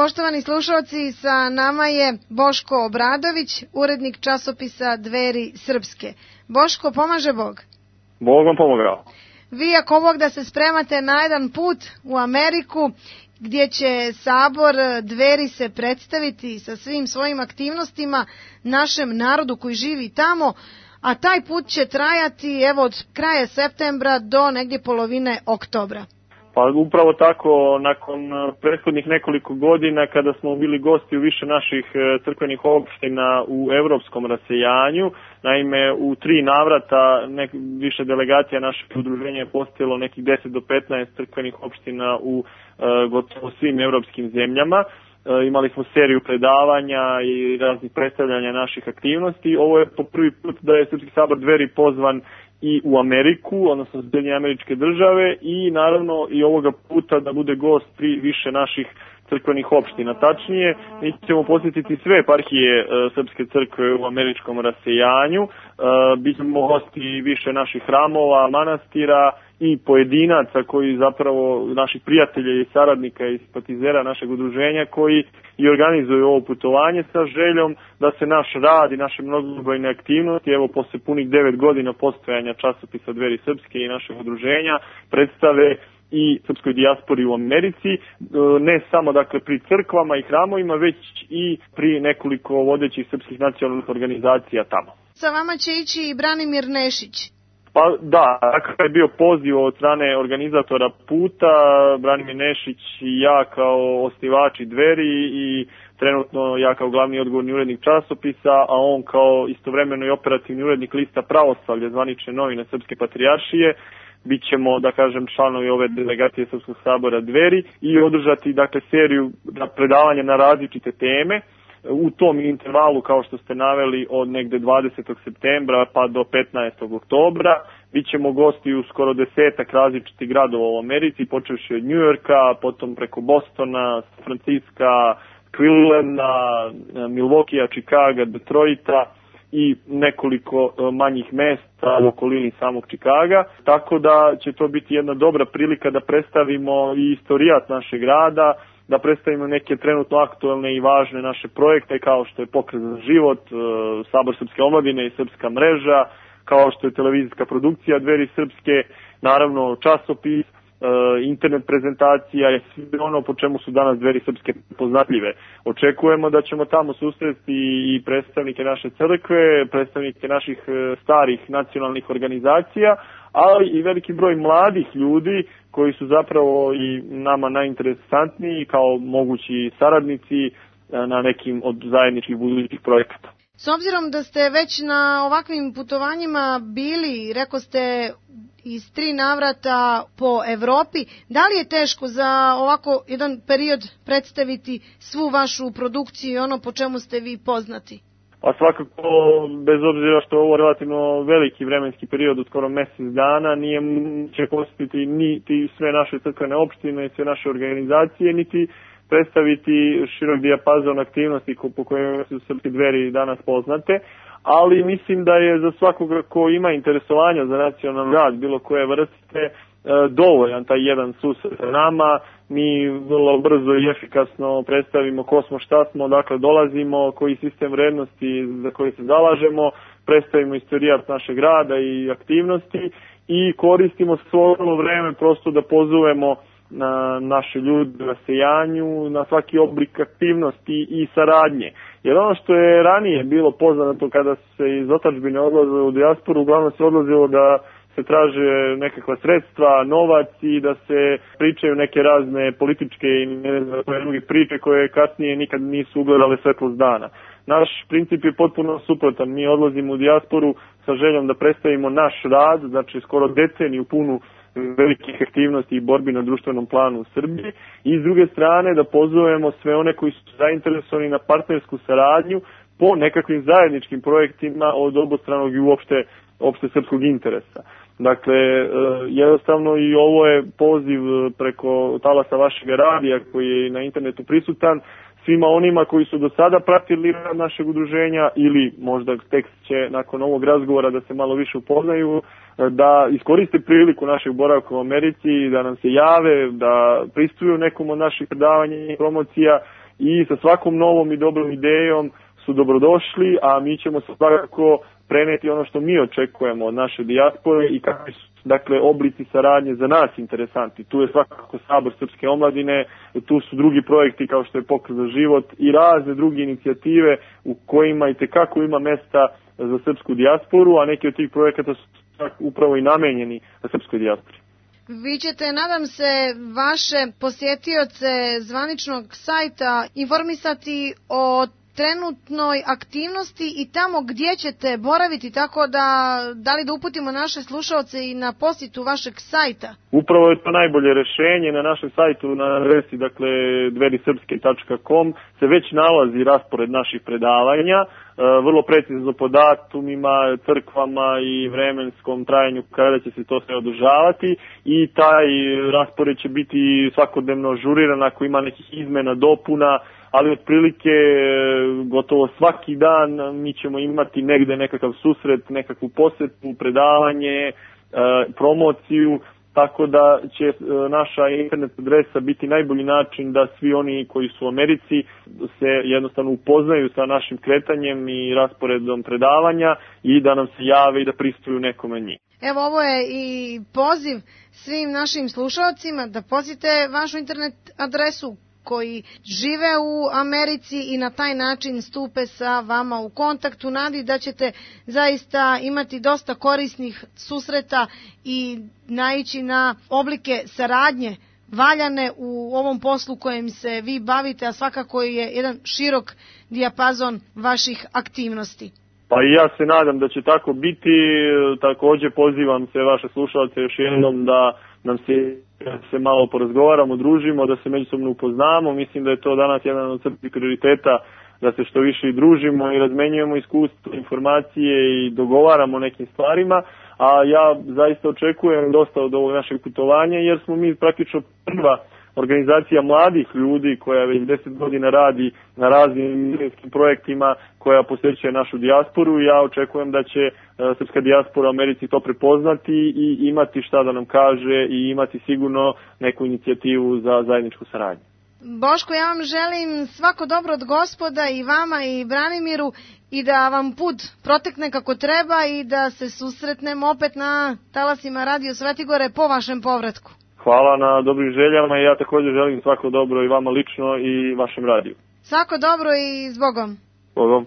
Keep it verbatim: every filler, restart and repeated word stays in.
Poštovani slušalci, sa nama je Boško Obradović, urednik časopisa Dveri Srpske. Boško, pomaže Bog? Bog vam pomogao. Vi, ako Bog da se spremate na jedan put u Ameriku, gdje će sabor Dveri se predstaviti sa svim svojim aktivnostima našem narodu koji živi tamo, a taj put će trajati evo od kraja septembra do negdje polovine oktobra. Pa upravo tako, nakon prethodnih nekoliko godina kada smo bili gosti u više naših crkvenih opština u evropskom rasejanju, naime u tri navrata nek, više delegacija našeg udruženja je posjetilo nekih deset do petnaest crkvenih opština u e, gotovo svim evropskim zemljama. E, imali smo seriju predavanja i raznih predstavljanja naših aktivnosti. Ovo je po prvi put da je Srpski sabor Dveri pozvan i u Ameriku, odnosno Sjedinjene Američke Države, i naravno i ovoga puta da bude gost pri više naših crkvenih opština. Tačnije, mi ćemo posjetiti sve eparhije e, Srpske crkve u američkom rasejanju, e, bit ćemo gosti više naših hramova, manastira i pojedinaca koji zapravo, naših prijatelja i saradnika i simpatizera našeg udruženja koji i organizuju ovo putovanje sa željom da se naš rad i naše mnogobrojne aktivnosti, evo posle punih devet godina postojanja časopisa Dveri Srpske i našeg udruženja, predstave i srpskoj dijaspori u Americi, ne samo dakle pri crkvama i hramovima, već i pri nekoliko vodećih srpskih nacionalnih organizacija tamo. Sa vama će ići i Branimir Nešić. Pa da, takav je bio poziv od strane organizatora puta, Branimir Nešić i ja kao osnivači Dveri i trenutno ja kao glavni odgovorni urednik časopisa, a on kao istovremeno i operativni urednik lista Pravoslavlje, zvanične novine Srpske patrijaršije. Bit ćemo, da kažem, članovi ove delegacije Srpskog sabora Dveri i održati, dakle, seriju predavanja na različite teme. U tom intervalu, kao što ste naveli, od negde dvadesetog septembra pa do petnaestog oktobra, bit ćemo gosti u skoro desetak različitih gradova u Americi, počevši od Njujorka, potom preko Bostona, San Franciska, Clevelanda, Milwaukeea, Chicaga, Detroita i nekoliko manjih mesta u okolini samog Čikaga, tako da će to biti jedna dobra prilika da predstavimo i istorijat našeg rada, da predstavimo neke trenutno aktuelne i važne naše projekte kao što je Pokret za život, Sabor Srpske omladine i Srpska mreža, kao što je televizijska produkcija Dveri Srpske, naravno časopis, internet prezentacija i sve ono po čemu su danas Dveri Srpske poznatljive. Očekujemo da ćemo tamo susresti i predstavnike naše crkve, predstavnike naših starih nacionalnih organizacija, ali i veliki broj mladih ljudi koji su zapravo i nama najinteresantniji kao mogući saradnici na nekim od zajedničkih budućih projekata. S obzirom da ste već na ovakvim putovanjima bili, reko ste, iz tri navrata po Evropi, da li je teško za ovako jedan period predstaviti svu vašu produkciju i ono po čemu ste vi poznati? Pa svakako, bez obzira što je ovo relativno veliki vremenski period od skoro mjesec dana, nije će posjetiti niti sve naše crkvene opštine i sve naše organizacije, niti predstaviti širok dijapazon aktivnosti po kojima su Srpske Dveri danas poznate, ali mislim da je za svakoga ko ima interesovanja za nacionalni rad bilo koje vrste dovoljan taj jedan susret sa nama. Mi vrlo brzo i efikasno predstavimo ko smo, šta smo, dakle dolazimo, koji sistem vrednosti za koji se zalažemo, predstavimo istorijat našeg rada i aktivnosti i koristimo svo vreme prosto da pozovemo na naše ljude na sejanju, na svaki oblik aktivnosti i saradnje. Jer ono što je ranije bilo poznato kada se iz otadžbine odlazilo u dijasporu, uglavnom se odlazilo da se traže nekakva sredstva, novac i da se pričaju neke razne političke i ne znam koje druge priče koje kasnije nikad nisu ugledale svetlost dana. Naš princip je potpuno suprotan. Mi odlazimo u dijasporu sa željom da predstavimo naš rad, znači skoro deceniju punu velikih aktivnosti i borbi na društvenom planu u Srbiji i s druge strane da pozovemo sve one koji su zainteresovani na partnersku saradnju po nekakvim zajedničkim projektima od obostranog i uopšte opšte srpskog interesa. Dakle, jednostavno i ovo je poziv preko talasa vašeg radija koji je na internetu prisutan svima onima koji su do sada pratili rad našeg udruženja ili možda tek će nakon ovog razgovora da se malo više upoznaju, da iskoriste priliku našeg boravka u Americi, da nam se jave, da pristuju nekom od naših predavanja i promocija i sa svakom novom i dobrom idejom su dobrodošli, a mi ćemo svakako preneti ono što mi očekujemo od naše dijaspore i kakvi su dakle oblici saradnje za nas interesanti. Tu je svakako Sabor srpske omladine, tu su drugi projekti kao što je Pokret za život i razne druge inicijative u kojima i tekako ima mesta za srpsku dijasporu, a neki od tih projekata su upravo i namenjeni za srpskoj dijaspori. Vi ćete, nadam se, vaše posjetioce zvaničnog sajta informisati o trenutnoj aktivnosti i tamo gdje ćete boraviti, tako da da li da uputimo naše slušalce i na posjetu vašeg sajta? Upravo je to najbolje rešenje. Na našem sajtu na adresi dakle dverisrpske tačka com se već nalazi raspored naših predavanja, vrlo precizno po datumima, crkvama i vremenskom trajanju kada će se to sve održavati i taj raspored će biti svakodnevno ažuriran ako ima nekih izmena, dopuna, ali otprilike gotovo svaki dan mi ćemo imati negde nekakav susret, nekakvu posetu, predavanje, promociju, tako da će naša internet adresa biti najbolji način da svi oni koji su u Americi se jednostavno upoznaju sa našim kretanjem i rasporedom predavanja i da nam se jave i da pristuju nekome njih. Evo, ovo je i poziv svim našim slušalcima da posjete vašu internet adresu koji žive u Americi i na taj način stupe sa vama u kontaktu. Nadi da ćete zaista imati dosta korisnih susreta i naići na oblike saradnje valjane u ovom poslu kojim se vi bavite, a svakako je jedan širok dijapazon vaših aktivnosti. Pa i ja se nadam da će tako biti. Također pozivam se vaše slušalce još jednom da nam se, se malo porazgovaramo, družimo, da se međusobno upoznamo. Mislim da je to danas jedan od crpnih prioriteta, da se što više i družimo i razmenjujemo iskustvo, informacije i dogovaramo nekim stvarima. A ja zaista očekujem dosta od ovog našeg putovanja jer smo mi praktično prva organizacija mladih ljudi koja već deset godina radi na raznim milijonskim projektima koja posjećuje našu dijasporu i ja očekujem da će srpska dijaspora u Americi to prepoznati i imati šta da nam kaže i imati sigurno neku inicijativu za zajedničku saradnju. Boško, ja vam želim svako dobro od Gospoda i vama i Branimiru i da vam put protekne kako treba i da se susretnemo opet na talasima Radio Svetigore po vašem povratku. Hvala na dobrim željama i ja također želim svako dobro i vama lično i vašem radiju. Svako dobro i s Bogom. Bogom.